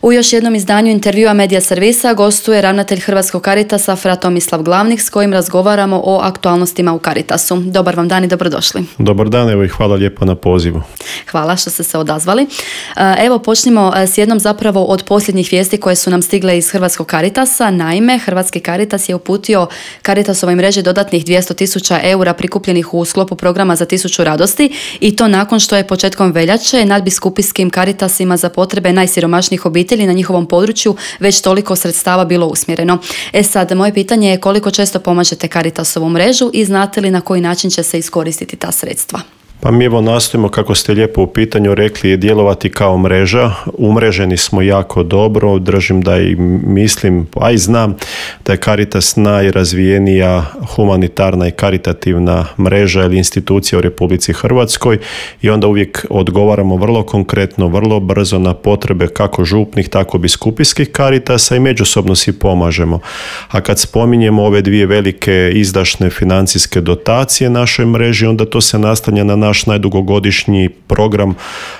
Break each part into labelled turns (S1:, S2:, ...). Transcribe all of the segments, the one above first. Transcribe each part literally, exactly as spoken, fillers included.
S1: U još jednom izdanju intervjua Medija servisa gostuje ravnatelj Hrvatskog Caritasa Fra Tomislav Glavnik, s kojim razgovaramo o aktualnostima u Caritasu. Dobar vam dan i dobrodošli.
S2: Dobar dan, evo i hvala lijepo na pozivu.
S1: Hvala što ste se odazvali. Evo počnimo s jednom zapravo od posljednjih vijesti koje su nam stigle iz Hrvatskog Caritasa. Naime, Hrvatski Caritas je uputio Caritasovoj mreži dodatnih dvjesto tisuća eura prikupljenih u sklopu programa za tisuću radosti, i to nakon što je početkom veljače nadbiskupijskim Caritasima za potrebe najsiromašnijih obitelji na njihovom području već toliko sredstava bilo usmjereno. E sad, moje pitanje je koliko često pomažete Caritasovu mrežu i znate li na koji način će se iskoristiti ta sredstva?
S2: Pa mi evo nastojimo, kako ste lijepo u pitanju rekli, djelovati kao mreža. Umreženi smo jako dobro, držim da i mislim, a i znam da je Caritas najrazvijenija humanitarna i karitativna mreža ili institucija u Republici Hrvatskoj, i onda uvijek odgovaramo vrlo konkretno, vrlo brzo na potrebe kako župnih, tako biskupijskih Caritasa i međusobno si pomažemo. A kad spominjemo ove dvije velike izdašne financijske dotacije našoj mreži, onda to se naslanja na naš najdugogodišnji program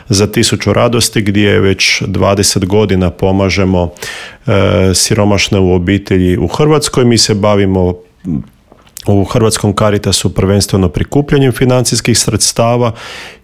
S2: za tisuću radosti, gdje već dvadeset godina pomažemo e, siromašne u obitelji u Hrvatskoj. Mi se bavimo u Hrvatskom Caritasu prvenstveno prikupljanjem financijskih sredstava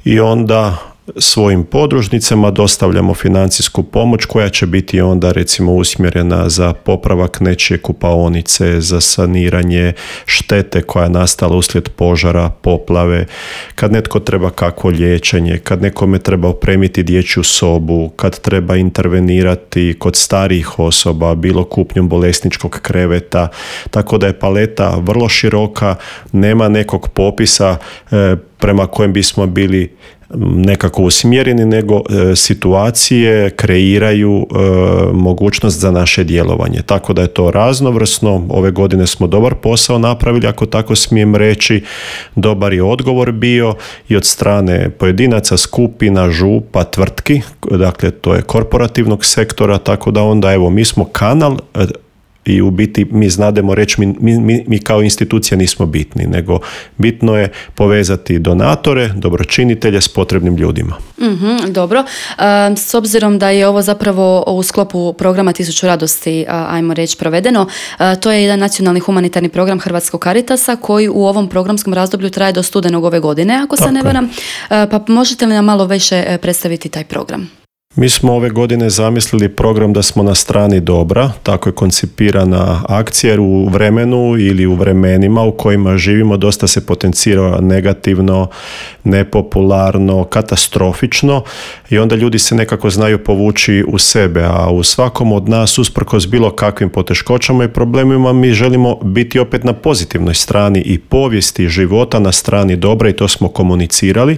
S2: i onda svojim podružnicama dostavljamo financijsku pomoć koja će biti onda recimo usmjerena za popravak nečije kupaonice, za saniranje štete koja je nastala uslijed požara, poplave, kad netko treba kakvo liječenje, kad nekome treba opremiti dječju sobu, kad treba intervenirati kod starijih osoba, bilo kupnjom bolesničkog kreveta, tako da je paleta vrlo široka, nema nekog popisa e, prema kojem bismo bili nekako usmjereni, nego e, situacije kreiraju e, mogućnost za naše djelovanje. Tako da je to raznovrsno. Ove godine smo dobar posao napravili, ako tako smijem reći. Dobar je odgovor bio i od strane pojedinaca, skupina, župa, tvrtki, dakle to je korporativnog sektora, tako da onda evo mi smo kanal i u biti mi znademo reći mi, mi, mi kao institucija nismo bitni, nego bitno je povezati donatore, dobročinitelje s potrebnim ljudima.
S1: Mm-hmm, dobro. E, s obzirom da je ovo zapravo u sklopu programa Tisuću radosti, ajmo reći, provedeno, e, to je jedan nacionalni humanitarni program Hrvatskog Caritasa koji u ovom programskom razdoblju traje do studenog ove godine, ako se ne varam. E, pa možete li nam malo više predstaviti taj program?
S2: Mi smo ove godine zamislili program da smo na strani dobra, tako je koncipirana akcija, jer u vremenu ili u vremenima u kojima živimo dosta se potencira negativno, nepopularno, katastrofično, i onda ljudi se nekako znaju povući u sebe, a u svakom od nas, usprkos bilo kakvim poteškoćama i problemima, mi želimo biti opet na pozitivnoj strani i povijesti života, na strani dobra, i to smo komunicirali.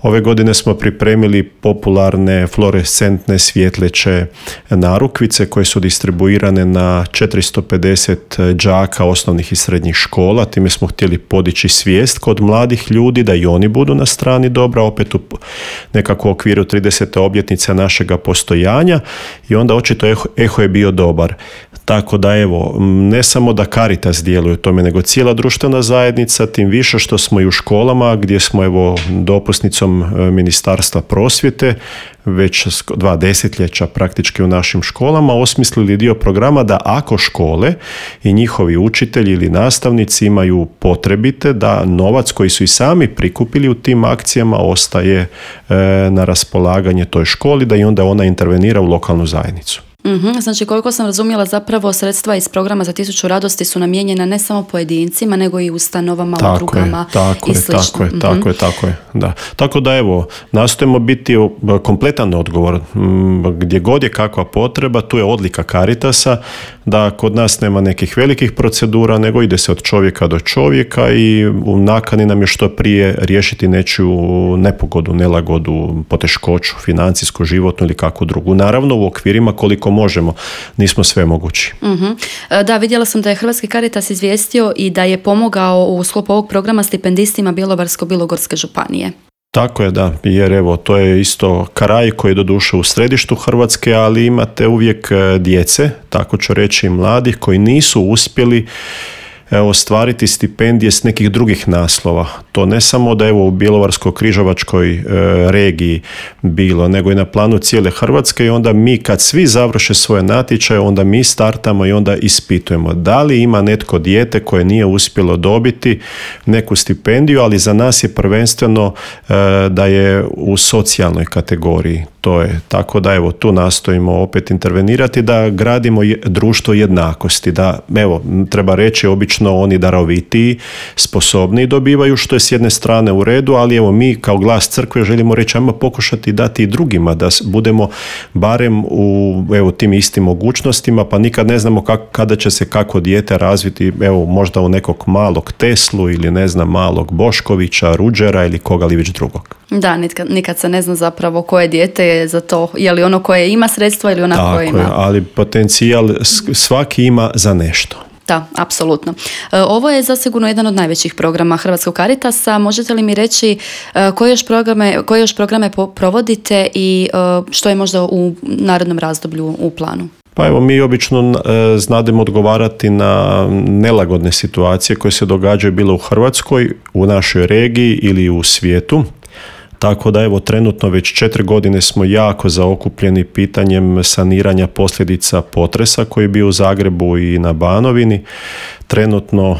S2: Ove godine smo pripremili popularne fluorescentne svjetleće narukvice koje su distribuirane na četiristo pedeset đaka osnovnih i srednjih škola. Time smo htjeli podići svijest kod mladih ljudi da i oni budu na strani dobra, opet u nekako okviru tridesete obljetnice našega postojanja, i onda očito eho, eho je bio dobar. Tako da evo, ne samo da Caritas djeluje u tome, nego cijela društvena zajednica, tim više što smo i u školama gdje smo evo dopusnicom Ministarstva prosvjete već dva desetljeća praktički u našim školama osmislili dio programa da ako škole i njihovi učitelji ili nastavnici imaju potrebite, da novac koji su i sami prikupili u tim akcijama ostaje e, na raspolaganje toj školi, da i onda ona intervenira u lokalnu zajednicu.
S1: Mm-hmm. Znači, koliko sam razumjela, zapravo sredstva iz programa za tisuću radosti su namijenjena ne samo pojedincima, nego i ustanovama,
S2: tako
S1: udrugama
S2: je, tako
S1: i
S2: je,
S1: slično.
S2: Tako je,
S1: mm-hmm.
S2: tako je, tako je, da. Tako da evo, nastojimo biti kompletan odgovor. Gdje god je kakva potreba, tu je odlika Caritasa, da kod nas nema nekih velikih procedura, nego ide se od čovjeka do čovjeka i u nakani nam je što prije riješiti nečiju nepogodu, nelagodu, poteškoću, financijsku, životnu ili kakvu drugu. Naravno, u okvirima koliko možemo, nismo sve mogući.
S1: Mm-hmm. Da, vidjela sam da je Hrvatski Caritas izvijestio i da je pomogao u sklopu ovog programa stipendistima Bjelovarsko-bilogorske županije.
S2: Tako je, da, jer evo, to je isto kraj koji je doduše u središtu Hrvatske, ali imate uvijek djece, tako ću reći, mladih koji nisu uspjeli ostvariti stipendije s nekih drugih naslova. To ne samo da evo u Bjelovarsko-križevačkoj e, regiji bilo, nego i na planu cijele Hrvatske i onda mi kad svi završe svoje natječaje, onda mi startamo i onda ispitujemo da li ima netko dijete koje nije uspjelo dobiti neku stipendiju, ali za nas je prvenstveno e, da je u socijalnoj kategoriji. To je tako da evo tu nastojimo opet intervenirati da gradimo je, društvo jednakosti, da evo treba reći obično oni darovitiji, sposobniji dobivaju, što je s jedne strane u redu, ali evo mi kao glas crkve želimo reći ajmo pokušati dati i drugima da budemo barem u evo tim istim mogućnostima, pa nikad ne znamo kak, kada će se kako dijete razviti, evo možda u nekog malog Teslu ili ne znam malog Boškovića, Ruđera ili koga li već drugog.
S1: Da, nikad, nikad se ne zna zapravo koje dijete je za to, je li ono koje ima sredstva ili ona koja ima.
S2: Tako je, ali potencijal svaki ima za nešto.
S1: Da, apsolutno. Ovo je zasigurno jedan od najvećih programa Hrvatskog Caritasa. Možete li mi reći koje još programe, koje još programe provodite i što je možda u narednom razdoblju u planu?
S2: Pa evo, mi obično e, znademo odgovarati na nelagodne situacije koje se događaju bilo u Hrvatskoj, u našoj regiji ili u svijetu. Tako da evo trenutno već četiri godine smo jako zaokupljeni pitanjem saniranja posljedica potresa koji je bio u Zagrebu i na Banovini. Trenutno uh,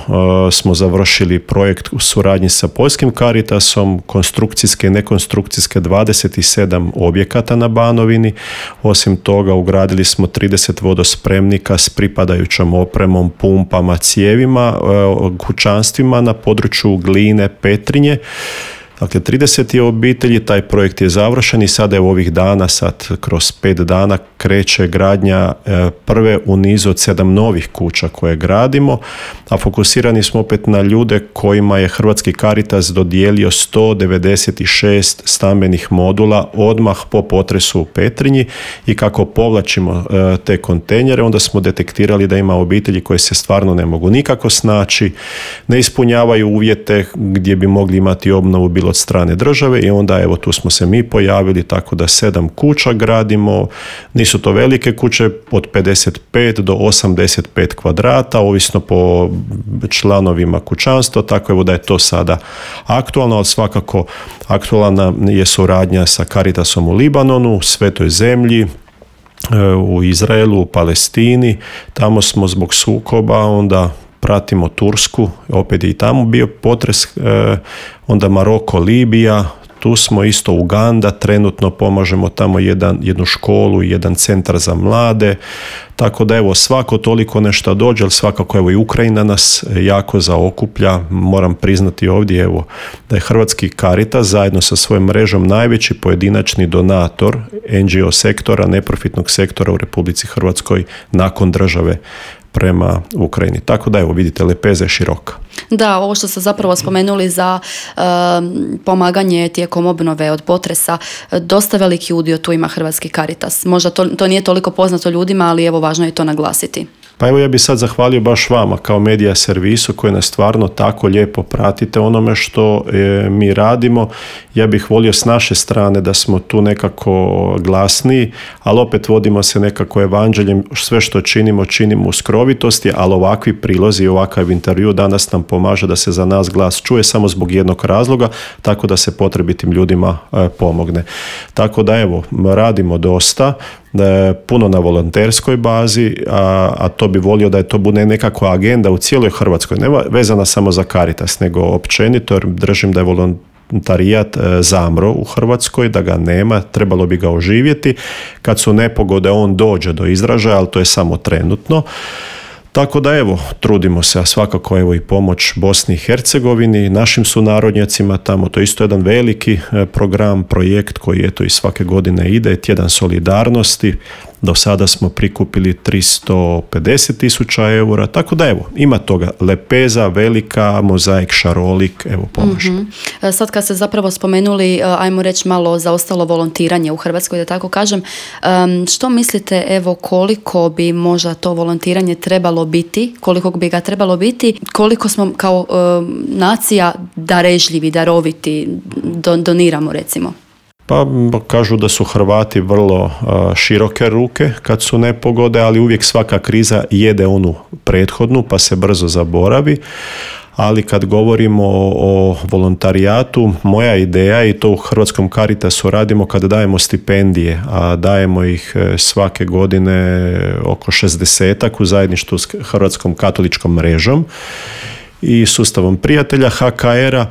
S2: smo završili projekt u suradnji sa Poljskim Caritasom, konstrukcijske i nekonstrukcijske dvadeset sedam objekata na Banovini. Osim toga ugradili smo trideset vodospremnika s pripadajućom opremom, pumpama, cijevima, uh, kućanstvima na području Gline, Petrinje. Dakle, trideset je obitelji, taj projekt je završen i sada je u ovih dana, sad kroz pet dana kreće gradnja e, prve u nizu od sedam novih kuća koje gradimo, a fokusirani smo opet na ljude kojima je Hrvatski Caritas dodijelio sto devedeset šest stambenih modula odmah po potresu u Petrinji i kako povlačimo e, te kontejnere, onda smo detektirali da ima obitelji koje se stvarno ne mogu nikako snaći, ne ispunjavaju uvjete gdje bi mogli imati obnovu bilo od strane države i onda evo tu smo se mi pojavili tako da sedam kuća gradimo, nisu to velike kuće od pedeset pet do osamdeset pet kvadrata, ovisno po članovima kućanstva, tako evo da je to sada aktualno, ali svakako aktualna je suradnja sa Caritasom u Libanonu, u Svetoj zemlji, u Izraelu, u Palestini, tamo smo zbog sukoba, onda pratimo Tursku, opet je i tamo bio potres, onda Maroko, Libija, tu smo isto Uganda, trenutno pomažemo tamo jedan, jednu školu i jedan centar za mlade, tako da evo svako toliko nešto dođe, ali svakako evo i Ukrajina nas jako zaokuplja, moram priznati ovdje evo da je Hrvatski Caritas zajedno sa svojom mrežom najveći pojedinačni donator en ge o sektora, neprofitnog sektora u Republici Hrvatskoj nakon države prema Ukrajini. Tako da evo vidite, lepeza je široka.
S1: Da, ovo što ste zapravo spomenuli za uh, pomaganje tijekom obnove od potresa, dosta veliki udio tu ima Hrvatski Caritas. Možda to, to nije toliko poznato ljudima, ali evo važno je to naglasiti.
S2: Pa evo ja bih sad zahvalio baš vama kao medija servisu koji nas stvarno tako lijepo pratite onome što e, mi radimo. Ja bih volio s naše strane da smo tu nekako glasniji, ali opet vodimo se nekako evanđeljem, sve što činimo, činimo u skrovitosti, ali ovakvi prilozi i ovakav intervju danas nam pomaže da se za nas glas čuje samo zbog jednog razloga, tako da se potrebitim ljudima e, pomogne. Tako da evo, radimo dosta, puno na volonterskoj bazi, a, a to bi volio da je to bude nekakva agenda u cijeloj Hrvatskoj, ne vezana samo za Caritas, nego općenito, jer držim da je volontarijat zamro u Hrvatskoj, da ga nema, trebalo bi ga oživjeti. Kad su nepogode, on dođe do izražaja, ali to je samo trenutno. Tako da evo, trudimo se, a svakako evo i pomoć Bosni i Hercegovini, našim sunarodnjacima tamo, to je isto jedan veliki program, projekt koji eto i svake godine ide, tjedan solidarnosti. Do sada smo prikupili tristo pedeset tisuća eura, tako da evo, ima toga, lepeza, velika, mozaik, šarolik, evo pomaže.
S1: Mm-hmm. Sad kad ste zapravo spomenuli, ajmo reći malo zaostalo volontiranje u Hrvatskoj, da tako kažem, što mislite, evo koliko bi možda to volontiranje trebalo biti, koliko bi ga trebalo biti, koliko smo kao um, nacija darežljivi, daroviti, don, doniramo recimo?
S2: Pa kažu da su Hrvati vrlo široke ruke kad su nepogode, ali uvijek svaka kriza jede onu prethodnu pa se brzo zaboravi. Ali kad govorimo o, o volontarijatu, moja ideja, i to u Hrvatskom Caritasu radimo kad dajemo stipendije, a dajemo ih svake godine oko šezdesetak u zajedništvu s Hrvatskom katoličkom mrežom i sustavom prijatelja H K R-a,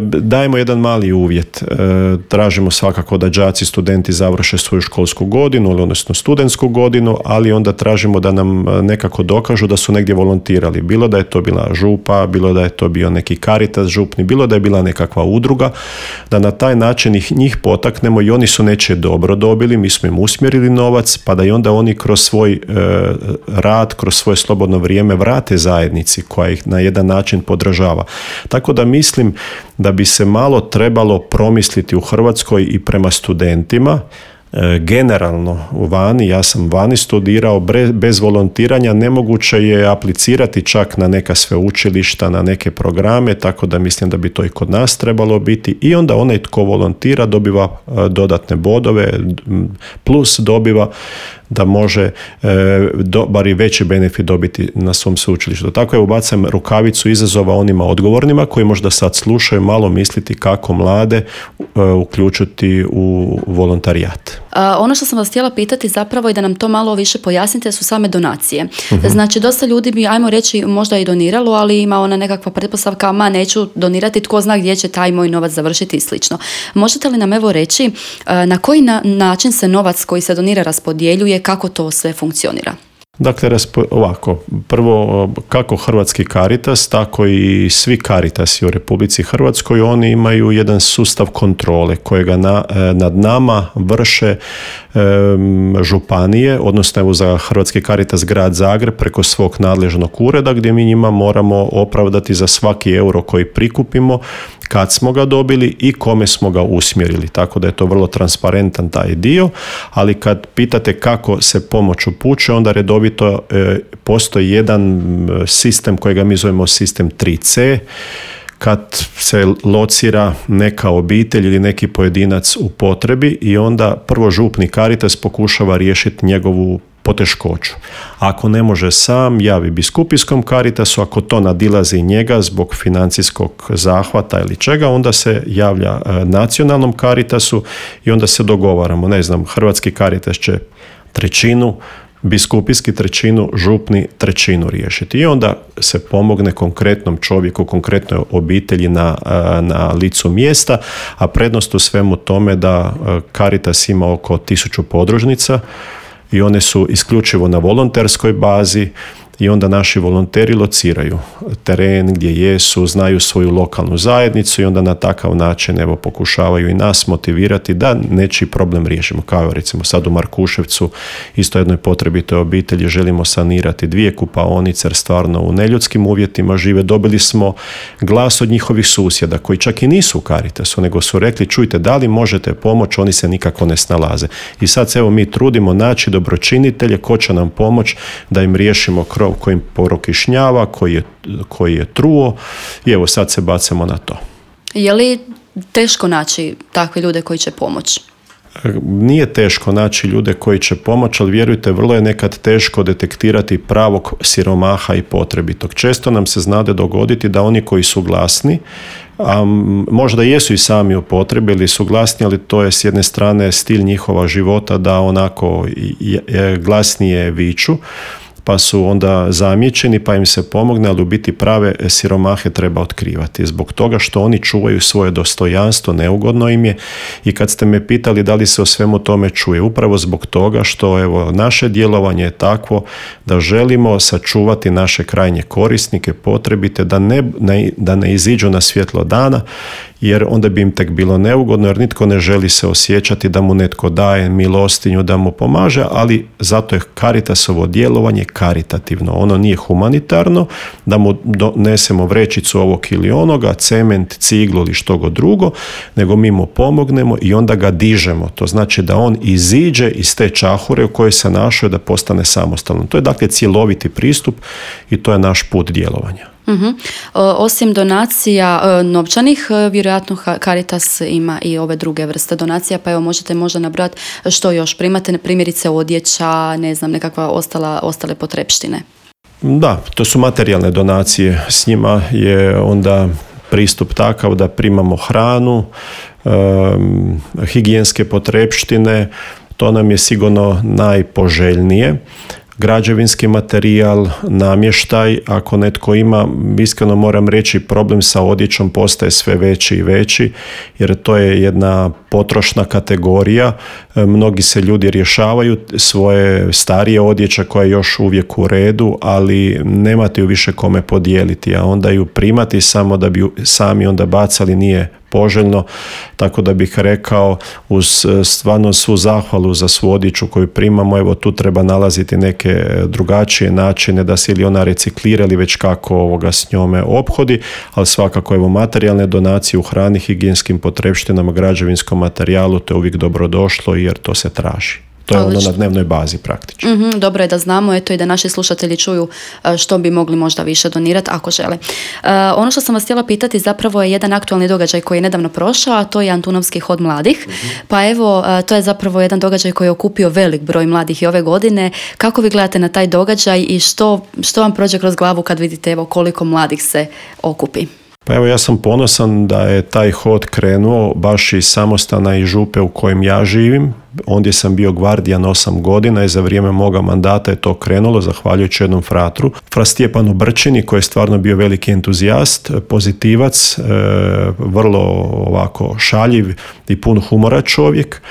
S2: dajemo jedan mali uvjet. Tražimo svakako da đaci, studenti završe svoju školsku godinu, odnosno studentsku godinu, ali onda tražimo da nam nekako dokažu da su negdje volontirali. Bilo da je to bila župa, bilo da je to bio neki Caritas župni, bilo da je bila nekakva udruga, da na taj način ih, njih potaknemo i oni su nečije dobro dobili, mi smo im usmjerili novac, pa da i onda oni kroz svoj e, rad, kroz svoje slobodno vrijeme vrate zajednici koja ih na jedan način podržava. Tako da mislim da bi se malo trebalo promisliti u Hrvatskoj i prema studentima. E, generalno vani, ja sam vani studirao, bez volontiranja nemoguće je aplicirati čak na neka sveučilišta, na neke programe, tako da mislim da bi to i kod nas trebalo biti. I onda onaj tko volontira dobiva dodatne bodove, plus dobiva da može e, dobar i veći benefit dobiti na svom sveučilištu. Tako je, ubacam rukavicu izazova onima odgovornima koji možda sad slušaju, malo misliti kako mlade e, uključiti u volontarijat.
S1: A, ono što sam vas htjela pitati zapravo i da nam to malo više pojasnite su same donacije. Uh-huh. Znači, dosta ljudi bi, ajmo reći, možda i doniralo, ali ima ona nekakva pretpostavka, ma neću donirati, tko zna gdje će taj moj novac završiti i slično. Možete li nam evo reći a, na koji na, način se novac koji se donira raspodjeljuje, kako to sve funkcionira?
S2: Dakle, ovako, prvo kako Hrvatski Caritas, tako i svi Caritasi u Republici Hrvatskoj, oni imaju jedan sustav kontrole kojega na, nad nama vrše um, županije, odnosno evo za Hrvatski Caritas grad Zagreb preko svog nadležnog ureda gdje mi njima moramo opravdati za svaki euro koji prikupimo, kad smo ga dobili i kome smo ga usmjerili. Tako da je to vrlo transparentan taj dio, ali kad pitate kako se pomoć upućuje, onda redovito e, postoji jedan sistem kojega mi zovemo sistem tri ce, kad se locira neka obitelj ili neki pojedinac u potrebi i onda prvo župni Caritas pokušava riješiti njegovu poteškoću. Ako ne može sam, javi biskupijskom Caritasu, ako to nadilazi njega zbog financijskog zahvata ili čega, onda se javlja nacionalnom Caritasu i onda se dogovaramo. Ne znam, Hrvatski Caritas će trećinu, biskupijski trećinu, župni trećinu riješiti. I onda se pomogne konkretnom čovjeku, konkretnoj obitelji na, na licu mjesta, a prednost u svemu tome da Caritas ima oko tisuću podružnica i one su isključivo na volonterskoj bazi i onda naši volonteri lociraju teren gdje jesu, znaju svoju lokalnu zajednicu i onda na takav način evo pokušavaju i nas motivirati da nečiji problem riješimo. Kao recimo sad u Markuševcu, isto jednoj potrebitoj obitelji želimo sanirati dvije kupaonice jer stvarno u neljudskim uvjetima žive. Dobili smo glas od njihovih susjeda koji čak i nisu u Caritasu, nego su rekli čujte da li možete pomoći, oni se nikako ne snalaze. I sad se evo mi trudimo naći dobročinitelje ko će nam pomoći da im riješimo krov koji im prokišnjava, koji je, koji je truo i evo sad se bacamo na to.
S1: Je li teško naći takve ljude koji će pomoći?
S2: Nije teško naći ljude koji će pomoći, ali vjerujte, vrlo je nekad teško detektirati pravog siromaha i potrebitog. Često nam se znade dogoditi da oni koji su glasni, a možda jesu i sami u potrebi ili su glasni, ali to je s jedne strane stil njihova života da onako glasnije viču, pa su onda zamijećeni, pa im se pomogne, ali u biti prave siromahe treba otkrivati. Zbog toga što oni čuvaju svoje dostojanstvo, neugodno im je i kad ste me pitali da li se o svemu tome čuje, upravo zbog toga što evo, naše djelovanje je takvo da želimo sačuvati naše krajnje korisnike, potrebite, da ne, ne, da ne iziđu na svjetlo dana, jer onda bi im tek bilo neugodno, jer nitko ne želi se osjećati da mu netko daje milostinju, da mu pomaže, ali zato je Caritasovo djelovanje karitativno. Ono nije humanitarno, da mu donesemo vrećicu ovog ili onoga, cement, ciglu ili što god drugo, nego mi mu pomognemo i onda ga dižemo. To znači da on iziđe iz te čahure u kojoj se našao da postane samostalan. To je dakle cjeloviti pristup i to je naš put djelovanja.
S1: Uh-huh. Osim donacija novčanih, vjerojatno Caritas ima i ove druge vrste donacija, pa evo možete možda nabrati što još primate, primjerice odjeća, ne znam, nekakva ostala, ostale potrepštine.
S2: Da, to su materijalne donacije. S njima je onda pristup takav da primamo hranu, um, higijenske potrepštine, to nam je sigurno najpoželjnije. Građevinski materijal, namještaj, ako netko ima, iskreno moram reći, problem sa odjećom postaje sve veći i veći, jer to je jedna potrošna kategorija. Mnogi se ljudi rješavaju svoje starije odjeća koja je još uvijek u redu, ali nemate ju više kome podijeliti, a onda ju primati samo da bi ju sami onda bacali nije poželjno, tako da bih rekao uz stvarno svu zahvalu za svu odjeću koju primamo, evo tu treba nalaziti neke drugačije načine da se ili ona reciklira ili već kako ovoga s njome ophodi, ali svakako evo materijalne donacije u hrani, higijenskim potrepštinama, građevinskom materijalu, to je uvijek dobro došlo jer to se traži. To je ono na dnevnoj bazi praktično.
S1: Mm-hmm, dobro je da znamo, eto i da naši slušatelji čuju što bi mogli možda više donirati ako žele. Uh, ono što sam vas htjela pitati zapravo je jedan aktualni događaj koji je nedavno prošao, a to je Antunovski hod mladih. Mm-hmm. Pa evo, uh, to je zapravo jedan događaj koji je okupio velik broj mladih i ove godine. Kako vi gledate na taj događaj i što, što vam prođe kroz glavu kad vidite evo koliko mladih se okupi?
S2: Pa evo ja sam ponosan da je taj hod krenuo baš iz samostana i župe u kojem ja živim. Ondje sam bio gvardijan osam godina i za vrijeme moga mandata je to krenulo, zahvaljujući jednom fratru. Fra Stjepanu Brčini koji je stvarno bio veliki entuzijast, pozitivac, e, vrlo ovako šaljiv i pun humora čovjek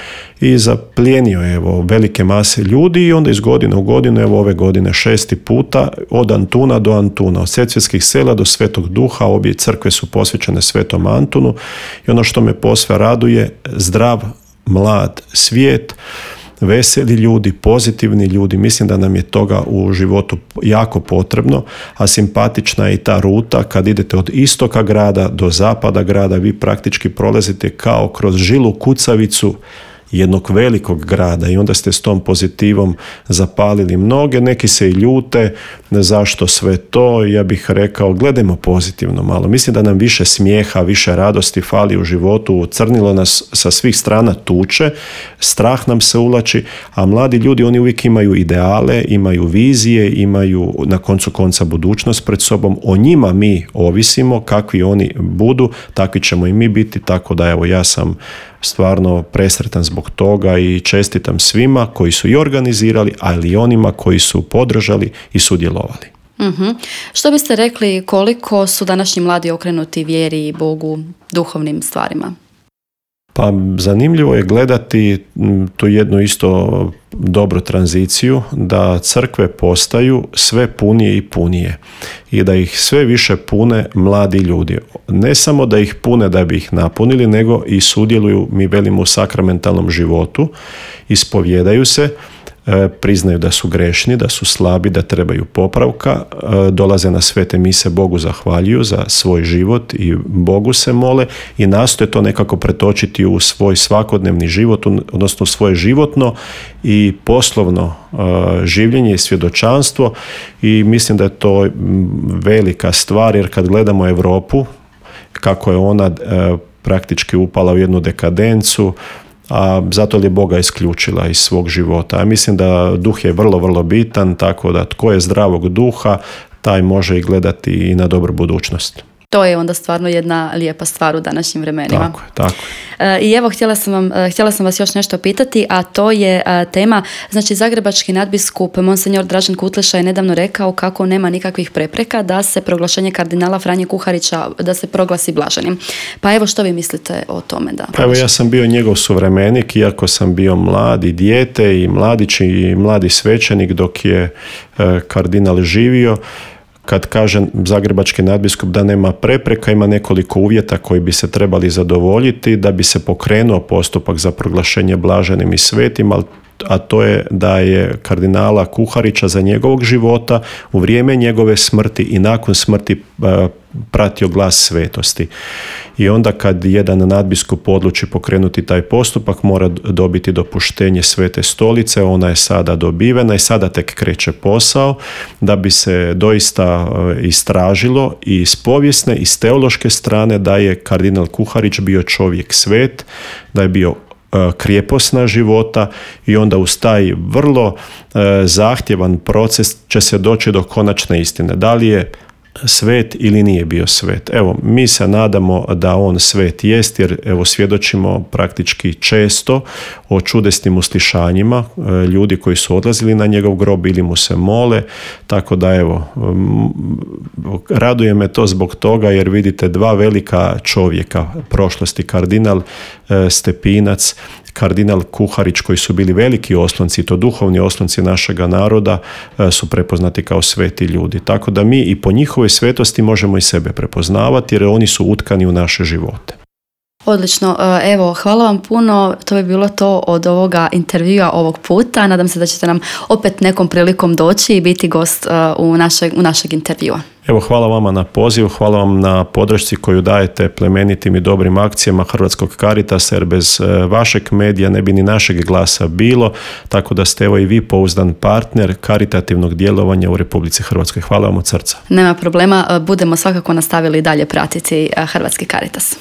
S2: i zaplijenio je evo velike mase ljudi i onda iz godine u godinu, evo ove godine šesti puta, od Antuna do Antuna, od Sesvetskih sela do Svetog Duha, obje crkve su posvećene Svetom Antunu i ono što me posve raduje, zdrav mlad svijet, veseli ljudi, pozitivni ljudi, mislim da nam je toga u životu jako potrebno, a simpatična je i ta ruta kad idete od istoka grada do zapada grada, vi praktički prolazite kao kroz žilu kucavicu jednog velikog grada i onda ste s tom pozitivom zapalili mnoge, neki se i ljute, zašto sve to, ja bih rekao, gledajmo pozitivno malo. Mislim da nam više smijeha, više radosti fali u životu, crnilo nas sa svih strana tuče, strah nam se uvlači, a mladi ljudi, oni uvijek imaju ideale, imaju vizije, imaju na koncu konca budućnost pred sobom, o njima mi ovisimo, kakvi oni budu, takvi ćemo i mi biti, tako da evo ja sam stvarno presretan zbog toga i čestitam svima koji su i organizirali, ali i onima koji su podržali i sudjelovali.
S1: Mm-hmm. Što biste rekli koliko su današnji mladi okrenuti vjeri i Bogu, duhovnim stvarima?
S2: Pa zanimljivo je gledati tu jednu isto dobru tranziciju, da crkve postaju sve punije i punije i da ih sve više pune mladi ljudi. Ne samo da ih pune da bi ih napunili, nego i sudjeluju, mi velimo, u sakramentalnom životu, ispovjedaju se, priznaju da su grešni, da su slabi, da trebaju popravka, dolaze na svete mise, Bogu zahvaljuju za svoj život i Bogu se mole i nastoje to nekako pretočiti u svoj svakodnevni život, odnosno svoje životno i poslovno življenje i svjedočanstvo i mislim da je to velika stvar, jer kad gledamo Europu, kako je ona praktički upala u jednu dekadencu, a zato li je Boga isključila iz svog života. A mislim da duh je vrlo, vrlo bitan, tako da tko je zdravog duha, taj može i gledati i na dobru budućnost.
S1: To je onda stvarno jedna lijepa stvar u današnjim vremenima.
S2: Tako je, tako
S1: je. I evo, htjela sam, vam, htjela sam vas još nešto pitati, a to je tema, znači zagrebački nadbiskup Monsenjor Dražen Kutleša je nedavno rekao kako nema nikakvih prepreka da se proglašenje kardinala Franje Kuharića, da se proglasi blaženim. Pa evo, što vi mislite o tome? Da
S2: pa evo, ja sam bio njegov suvremenik, iako sam bio mladi dijete i mladić i mladi svećenik dok je kardinal živio. Kad kaže zagrebački nadbiskup da nema prepreka, ima nekoliko uvjeta koji bi se trebali zadovoljiti da bi se pokrenuo postupak za proglašenje blaženim i svetim, ali a to je da je kardinala Kuharića za njegovog života, u vrijeme njegove smrti i nakon smrti pratio glas svetosti. I onda kad jedan nadbiskup odluči pokrenuti taj postupak, mora dobiti dopuštenje Svete stolice, ona je sada dobivena i sada tek kreće posao da bi se doista istražilo i s povijesne i s teološke strane da je kardinal Kuharić bio čovjek svet, da je bio krijeposna života i onda uz taj vrlo zahtjevan proces će se doći do konačne istine. Da li je svet ili nije bio svet. Evo, mi se nadamo da on svet jest, jer evo svjedočimo praktički često o čudesnim uslišanjima ljudi koji su odlazili na njegov grob ili mu se mole, tako da evo, raduje me to zbog toga jer vidite dva velika čovjeka prošlosti, kardinal Stepinac, kardinal Kuharić, koji su bili veliki oslonci, to duhovni oslonci našega naroda, su prepoznati kao sveti ljudi. Tako da mi i po njihovoj svetosti možemo i sebe prepoznavati jer oni su utkani u naše živote.
S1: Odlično, evo, hvala vam puno, to je bilo to od ovoga intervjua ovog puta. Nadam se da ćete nam opet nekom prilikom doći i biti gost u našeg, u našeg intervjua.
S2: Evo, hvala vama na pozivu, hvala vam na podršci koju dajete plemenitim i dobrim akcijama Hrvatskog Caritasa, jer bez vašeg medija ne bi ni našeg glasa bilo, tako da ste evo i vi pouzdan partner karitativnog djelovanja u Republici Hrvatskoj. Hvala vam od srca.
S1: Nema problema, budemo svakako nastavili dalje pratiti Hrvatski Caritas.